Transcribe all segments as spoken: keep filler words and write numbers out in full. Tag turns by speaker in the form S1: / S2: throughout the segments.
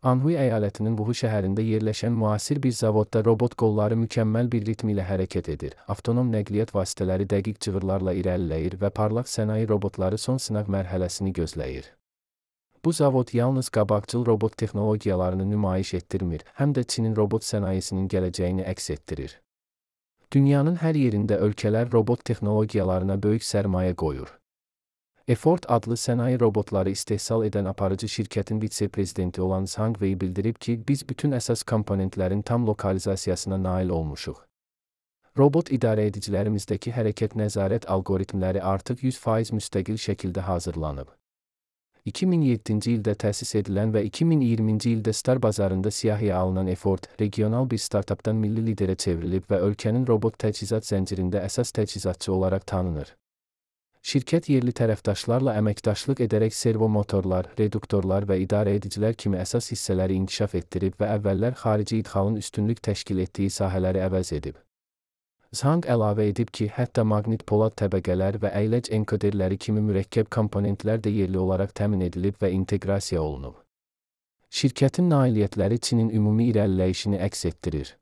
S1: Anhui əyalətinin Wuhu şəhərində yerləşən müasir bir zavodda robot qolları mükəmməl bir ritm ilə hərəkət edir. Avtonom nəqliyyat vasitələri dəqiq cığırlarla irəliləyir və parlaq sənaye robotları son sınaq mərhələsini gözləyir. Bu zavod yalnız qabaqcıl robot texnologiyalarını nümayiş etdirmir, həm də Çinin robot sənayesinin gələcəyini əks etdirir. Dünyanın hər yerində ölkələr robot texnologiyalarına böyük sərmayə qoyur. Effort adlı sənaye robotları istehsal edən aparıcı şirkətin vitse-prezidenti olan Zhang Wei bildirib ki, biz bütün əsas komponentlərin tam lokalizasiyasına nail olmuşuq. Robot idarəedicilərimizdəki hərəkət nəzarət algoritmləri artıq yüz faiz müstəqil şəkildə hazırlanıb. iki min yeddinci ildə təsis edilən və iki min iyirminci ildə Star bazarında siyahıya alınan Effort, regional bir startapdan milli liderə çevrilib və ölkənin robot təchizat zəncirində əsas təchizatçı olaraq tanınır. Şirkət yerli tərəfdaşlarla əməkdaşlıq edərək servo motorlar, reduktorlar və idarəedicilər kimi əsas hissələri inkişaf etdirib və əvvəllər xarici idxalın üstünlük təşkil etdiyi sahələri əvəz edib. Zhang əlavə edib ki, hətta maqnit polad təbəqələr və əyləc enkoderləri kimi mürəkkəb komponentlər də yerli olaraq təmin edilib və inteqrasiya olunub. Şirkətin nailiyyətləri Çinin ümumi irəliləyişini əks etdirir.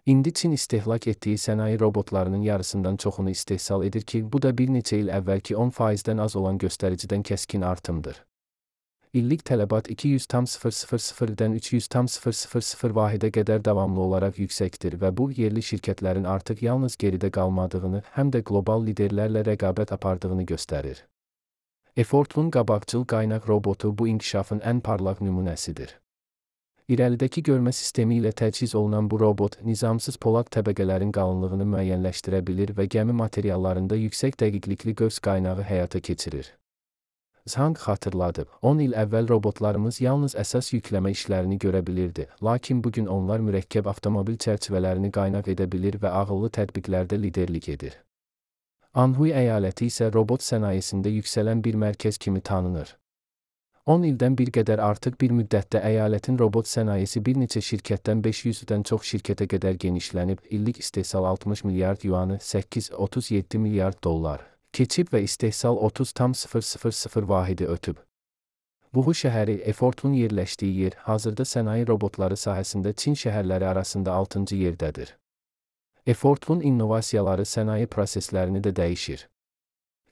S1: İndi Çin istehlak etdiyi sənaye robotlarının yarısından çoxunu istehsal edir ki, bu da bir neçə il əvvəlki on faizdən az olan göstəricidən kəskin artımdır. İllik tələbat iki yüz min üç yüz min vahidə qədər davamlı olaraq yüksəkdir və bu, yerli şirkətlərin artıq yalnız geridə qalmadığını, həm də qlobal liderlərlə rəqabət apardığını göstərir. Effort'un qabaqcıl qaynaq robotu bu inkişafın ən parlaq nümunəsidir. İrəlidəki görmə sistemi ilə təchiz olunan bu robot, nizamsız polad təbəqələrin qalınlığını müəyyənləşdirə bilir və gəmi materiallarında yüksək dəqiqlikli qövs qaynağı həyata keçirir. Zhang xatırladıb, on il əvvəl robotlarımız yalnız əsas yükləmə işlərini görə bilirdi, lakin bugün onlar mürəkkəb avtomobil çərçivələrini qaynaq edə bilir və ağıllı tətbiqlərdə liderlik edir. Anhui əyaləti isə robot sənayesində yüksələn bir mərkəz kimi tanınır. on ildən bir qədər artıq bir müddətdə əyalətin robot sənayesi bir neçə şirkətdən beş yüzdən çox şirkətə qədər genişlənib, illik istehsal altmış milyard yuanı səkkiz nöqtə otuz yeddi milyard dollar keçib və istehsal otuz nöqtə sıfır vahidi ötüb. Wuhu şəhəri, Effort'un yerləşdiyi yer, hazırda sənaye robotları sahəsində Çin şəhərləri arasında altıncı yerdədir. Effort'un innovasiyaları sənaye proseslərini də dəyişir.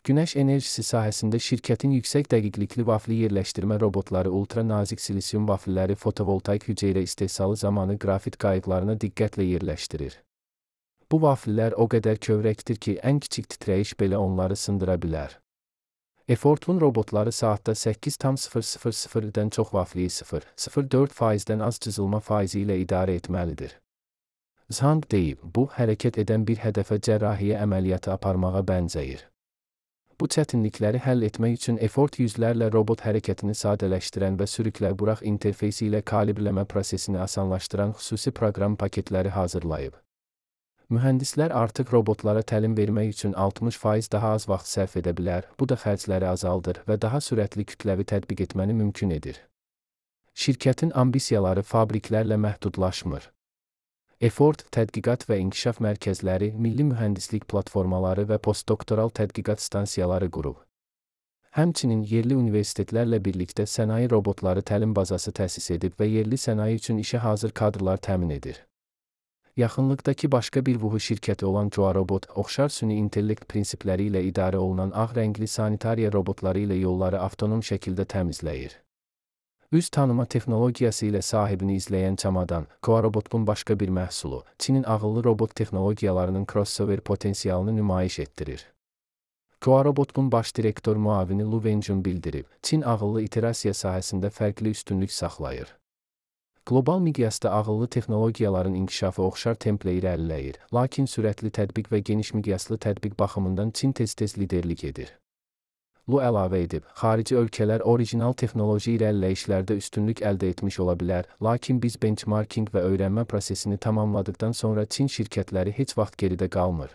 S1: Günəş enerjisi sahəsində şirkətin yüksək dəqiqlikli vafli yerləşdirmə robotları ultra nazik silisium vafilləri fotovoltaik hüceyrə istehsalı zamanı qrafit qayıqlarına diqqətlə yerləşdirir. Bu vafillər o qədər kövrəkdir ki, ən kiçik titrəyiş belə onları sındıra bilər. Effort'un robotları saatda səkkiz nöqtə sıfır sıfırdan çox vafliyi sıfır nöqtə sıfır dörd faizdən az cızılma faizi ilə idarə etməlidir. Zhang deyib, bu, hərəkət edən bir hədəfə cərrahiyyə əməliyyatı aparmağa bənzəyir. Bu çətinlikləri həll etmək üçün Effort yüzlərlə robot hərəkətini sadələşdirən və sürüklə burax interfeysi ilə kalibrləmə prosesini asanlaşdıran xüsusi proqram paketləri hazırlayıb. Mühəndislər artıq robotlara təlim vermək üçün altmış faiz daha az vaxt sərf edə bilər, bu da xərcləri azaldır və daha sürətli kütləvi tətbiq etməni mümkün edir. Şirkətin ambisiyaları fabriklərlə məhdudlaşmır. Effort, tədqiqat və inkişaf mərkəzləri, milli mühəndislik platformaları və postdoktoral tədqiqat stansiyaları qurub. Həmçinin yerli universitetlərlə birlikdə sənaye robotları təlim bazası təsis edib və yerli sənaye üçün işə hazır kadrlar təmin edir. Yaxınlıqdakı başqa bir Wuhu şirkəti olan Joarobot, oxşar süni intellekt prinsipləri ilə idarə olunan ağ rəngli sanitariya robotları ilə yolları avtonom şəkildə təmizləyir. Üz tanıma texnologiyası ilə sahibini izləyən Çamadan, Joarobot'un başqa bir məhsulu, Çinin ağıllı robot texnologiyalarının crossover potensialını nümayiş etdirir. Joarobot'un baş direktor müavini Lu Wenjun bildirib, Çin ağıllı iterasiya sahəsində fərqli üstünlük saxlayır. Qlobal miqyasda ağıllı texnologiyaların inkişafı oxşar templə irəliləyir, lakin sürətli tətbiq və geniş miqyaslı tətbiq baxımından Çin tez-tez liderlik edir. Lu əlavə edib, xarici ölkələr orijinal texnoloji irəliləyişlərdə üstünlük əldə etmiş ola bilər, lakin biz benchmarking və öyrənmə prosesini tamamladıqdan sonra Çin şirkətləri heç vaxt geridə qalmır.